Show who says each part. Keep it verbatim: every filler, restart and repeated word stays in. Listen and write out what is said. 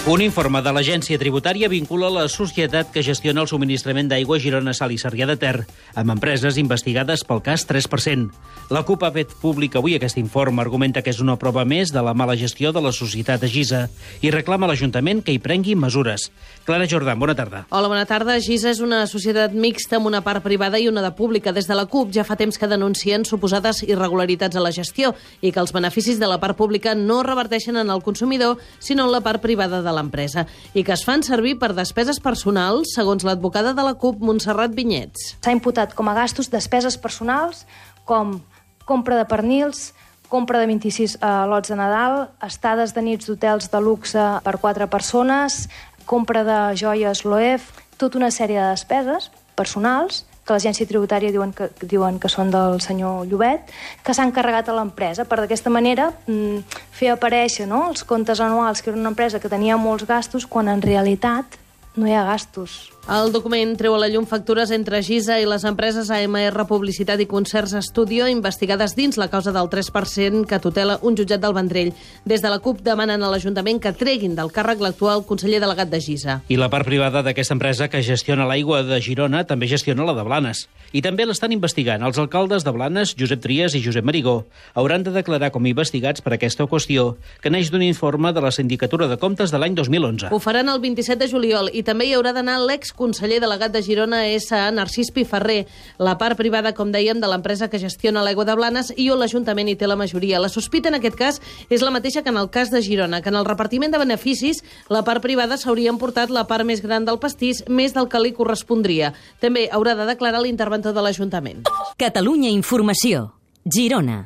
Speaker 1: Un informe de l'Agència Tributària vincula la societat que gestiona el subministrament d'aigua a Girona, Sal i Sarrià de Ter amb empreses investigades pel cas tres per cent. La CUP ha fet públic avui aquest informe, argumenta que és una prova més de la mala gestió de la societat de Gisa i reclama a l'Ajuntament que hi prengui mesures. Clara Jordan, bona tarda.
Speaker 2: Hola, bona tarda. Gisa és una societat mixta amb una part privada i una de pública. Des de la CUP ja fa temps que denuncien suposades irregularitats a la gestió i que els beneficis de la part pública no reverteixen en el consumidor, sinó en la part privada de l'empresa, i que es fan servir per despeses personals, segons l'advocada de la CUP, Montserrat Vinyets.
Speaker 3: S'ha imputat com a gastos despeses personals com compra de pernils, compra de vint-i-sis eh, lots de Nadal, estades de nits d'hotels de luxe per quatre persones, compra de joies Loewe, tota una sèrie de despeses personals que l'agència tributària diuen que, diuen que són del senyor Llobet, que s'han carregat a l'empresa per d'aquesta manera mm, fer aparèixer, no?, els comptes anuals, que era una empresa que tenia molts gastos, quan en realitat no hi ha gastos.
Speaker 2: El document treu a la llum factures entre Gisa i les empreses A M R Publicitat i Concerts Studio investigades dins la causa del tres per cent que tutela un jutjat del Vendrell. Des de la CUP demanen a l'Ajuntament que treguin del càrrec l'actual conseller delegat de Gisa.
Speaker 1: I la part privada d'aquesta empresa que gestiona l'aigua de Girona també gestiona la de Blanes. I també l'estan investigant els alcaldes de Blanes, Josep Trias i Josep Marigó. Hauran de declarar com investigats per aquesta qüestió, que neix d'un informe de la Sindicatura de Comptes de l'any dos mil onze.
Speaker 2: Ho faran el vint-i-set de juliol i també hi haurà d'anar l'ex conseller delegat de Girona és a Narcís Piferrer, la part privada, com dèiem, de l'empresa que gestiona l'aigua de Blanes i on l'Ajuntament hi té la majoria. La sospita en aquest cas és la mateixa que en el cas de Girona, que en el repartiment de beneficis la part privada s'hauria emportat la part més gran del pastís, més del que li correspondria. També haurà de declarar l'interventor de l'Ajuntament.
Speaker 4: Catalunya Informació, Girona.